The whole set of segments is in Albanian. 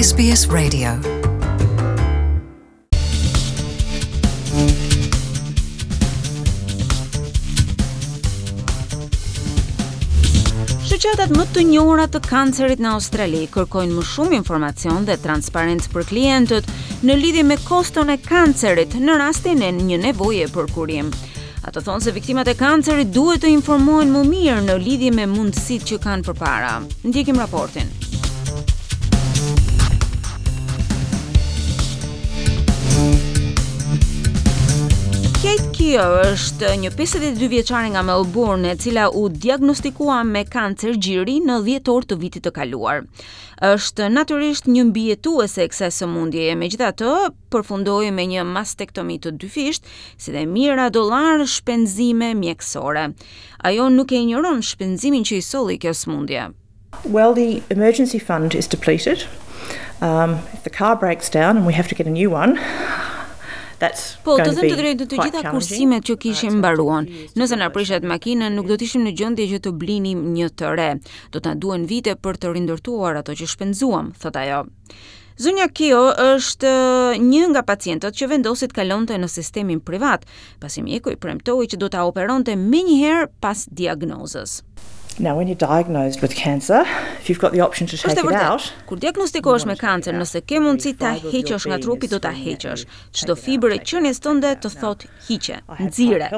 SBS Radio. Shoqatat më të njohura të kancerit në Australi kërkojnë më shumë informacion dhe transparencë për klientët në lidhje me koston e kancerit në rastin e një nevoje për kurim. Ato thonë se viktimat e kancerit duhet të informohen më mirë në lidhje me mundësitë që kanë përpara. Ndjekim raportin. Kate Keogh është një 52 vjeçare nga Melbourne, e cila u diagnostikua me kancer gjiri në dhjetor të vitit të kaluar. Është natyrisht një mbijetuese e kësaj sëmundjeje, megjithatë përfundoi me një mastektomi të dyfishtë, si dhe mijëra dollarë shpenzime mjekësore. Ajo nuk e injoron shpenzimin që i solli kjo sëmundje. Well, the emergency fund is depleted. Um, if the car breaks down and we have to get a new one, that's Po, të them të drejtën, të gjitha kursimet që kishim mbaruan. Nëse na prishet makina, nuk do të ishim në gjendje që të blinim një të re. Do të na duhen vite për të rindërtuar ato që shpenzuam, thotë ajo. Zonja Keogh është një nga pacientët që vendosi të kalonte në sistemin privat, pasi mjeku i premtoi që do ta operonte menjëherë pas diagnozës. Now when you're diagnosed with cancer, if you've got the option to take it out, kur diagnostikohesh me kancer, nëse ke mundësi ta heqësh nga trupi, do ta heqësh. Çdo fibër e qenies tënde të thotë hiqe, nxire.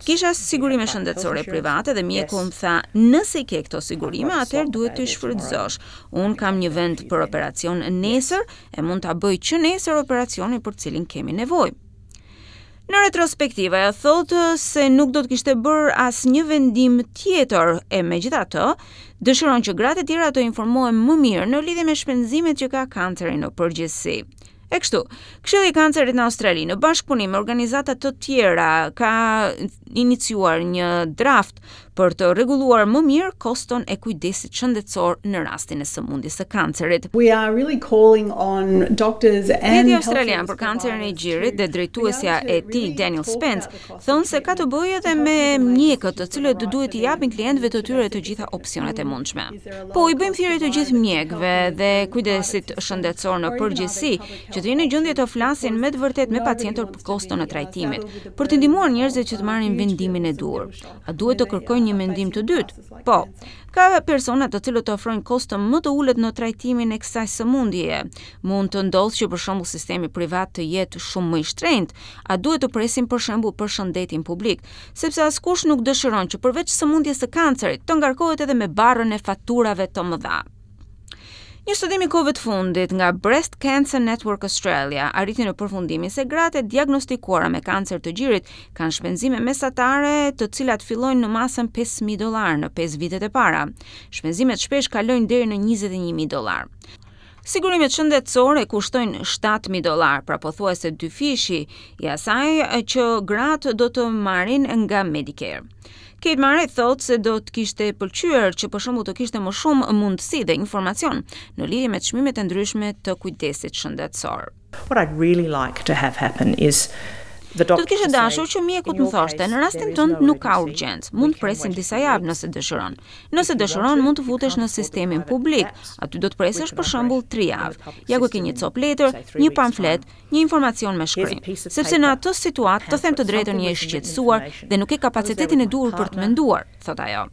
Kisha sigurime shëndetësore private dhe mjeku më tha, nëse i ke këto sigurime, atëherë duhet t'i shfrytëzosh. Unë kam një vend për operacion nesër e mund ta bëj që nesër operacionin për të cilin kemi nevojë. Në retrospektivë, ajo thotë se nuk do të kishte bërë asnjë vendim tjetër e megjithatë, dëshiron që gratë e tjera të informohen më mirë në lidhje me shpenzimet që ka kanceri në përgjithësi. E kështu, Këshilli i Kancerit në Australi në bashkëpunim me organizata të tjera ka iniciuar një draft për të rregulluar më mirë koston e kujdesit shëndetësor në rastin e sëmundjes së kancerit. We are really calling on doctors and Rrjeti Australian për kancerin e gjirit dhe drejtuesja e tij Danielle Spence thonë se ka të bëjë edhe me mjekët, të cilët duhet t'i japin klientëve të tyre të gjitha opsionet e mundshme. Po, i bëjmë thirrje të gjithë mjekëve dhe kujdesit shëndetësor në përgjithësi, që të jenë në gjendje të flasin me të vërtetë me pacientët për koston e trajtimit, për të ndihmuar njerëzit që të marrin vendimin e duhur. A duhet të kërkojnë një mendim të dytë? Po. Ka persona të cilët ofrojnë kosto më të ulët në trajtimin e kësaj sëmundjeje. Mund të ndodhë që për shembull sistemi privat të jetë shumë më i shtrenjtë. A duhet të presim për shembull për shëndetin publik? Sepse askush nuk dëshiron që përveç sëmundjes së kancerit, të ngarkohet edhe me barrën e faturave të mëdha. Një studim i kohëve të fundit nga Breast Cancer Network Australia arriti në përfundimin se gratë e diagnostikuara me kancer të gjirit kanë shpenzime mesatare të cilat fillojnë në masën 5000 dollarë në 5 vitet e para. Shpenzimet shpesh kalojnë deri në 21000 dollarë. Sigurimet shëndetësore kushtojnë 7000 dollarë, pra pothuajse dyfishi i asaj që gratë do të marrin nga Medicare. Kate Murray thotë se do të kishte pëlqyer që për shembull të kishte më shumë mundësi dhe informacion në lidhje me çmimet e ndryshme të kujdesit shëndetësor. What I'd really like to have happen is Do të kisha dashur që mjeku të më thoshte, në rastin tënd nuk ka urgjencë, mund të presim disa javë nëse dëshiron. Nëse dëshiron, mund të futesh në sistemin publik, aty do të presësh për shembull 3 javë. Ja ku ke një copë letër, një pamflet, një informacion me shkrim. Sepse në atë situatë, të them të drejtën, je i shqetësuar dhe nuk ke kapacitetin e duhur për të menduar, thotë ajo.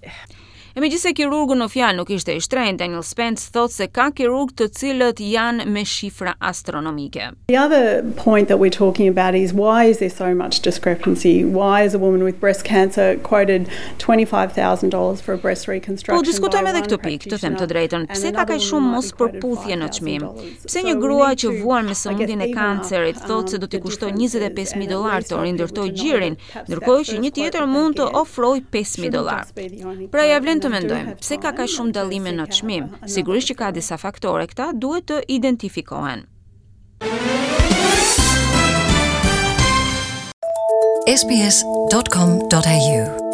E megjithëse kirurgu në fjalë nuk ishte i shtrenjtë, Danielle Spence thotë se ka kirurgë të cilët janë me shifra astronomike. The other point that we're talking about is why is there so much discrepancy? Why is a woman with breast cancer quoted $25,000 for a breast reconstruction? Po diskutojmë edhe këtë pikë, të them të drejtën, pse ka kaq shumë mospërputhje në çmim? Pse një grua që vuan me sëmundjen e kancerit thotë se do t'i kushtojë 25000 dollarë të rindërtojë gjirin, ndërkohë që një tjetër mund të ofrojë 5000 dollarë. Pra ia vlen të mendojmë, pse ka kaq shumë dallime në çmim? Sigurisht që ka disa faktore, këta duhet të identifikohen. sbs.com.au.